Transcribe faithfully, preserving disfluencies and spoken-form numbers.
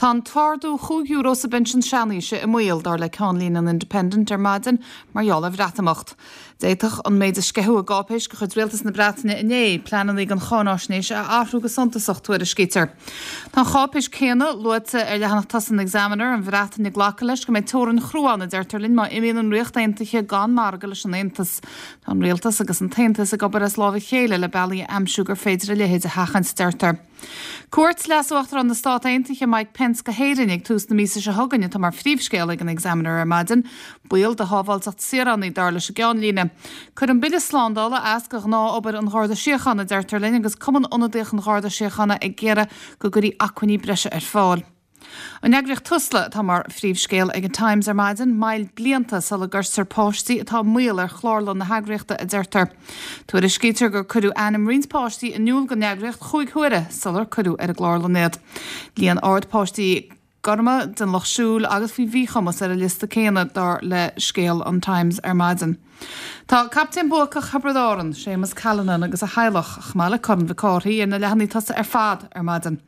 Tá an t-ardú chúig euro sa bpensean seanaoise i mbaol dar le ceannlíne an Independent ar maidin mar gheall ar Bhreatimeacht. D'fhéadfadh an méid a sceitheadh i gcáipéis de chuid Rialtas na Breataine inné pleananna don cháinaisnéis a athrú go suntasach tuairiscítear. Tá an cháipéis céanna luaite ar leathanach tosaigh an Examiner an Bhreatain ag glacadh leis go mbeidh teorainn chrua ann a deirtear linn má imíonn an Ríocht Aontaithe gan margadh leis an Aontas. Tá an rialtas agus an tAontas ag obair as lámh a chéile le bealaí a aimsiú gur féidir a leithéid a sheachaint deirtear. Cuairt Leas-Uachtarán na Stát Aontaithe Mike Pence go hÉirinn ag tús na míosa seo chugainn atá mar phríomhscéal ag an Examiner ar maidin, Baol do shábháilteacht saoránaigh dar leis an gceannlíne. Cuireann an bille slándála as do ghnáthobair an Gharda Síochána deirtear linn agus Cumann Ionadaíoch an Gharda Síochána ag iarraidh go gcuirfí acmhainní breise ar fáil. An eagraíocht Tusla atá mar phríomhscéal ag an Times ar maidin moill blianta sula gcuirtear páistí atá i mbaol ar chlárlann na heagraíochta a deirtear. Tuairiscítear gur cuireadh ainm roinnt páistí in iúl don eagraíocht chúig huaire sular cuireadh ar an gclárlann iad. Líon ard páistí gorma den lucht siúil agus faoi mhíchumas ar an liosta céanna dar le scéal an Times ar maidin. Tá captaen buacach Thiobraid Árann, Séamus Callanan agus a theaghlach chomh maith le Corn Mhic Cárthaigh ar na leathanaigh tosaigh ar fad ar maidin.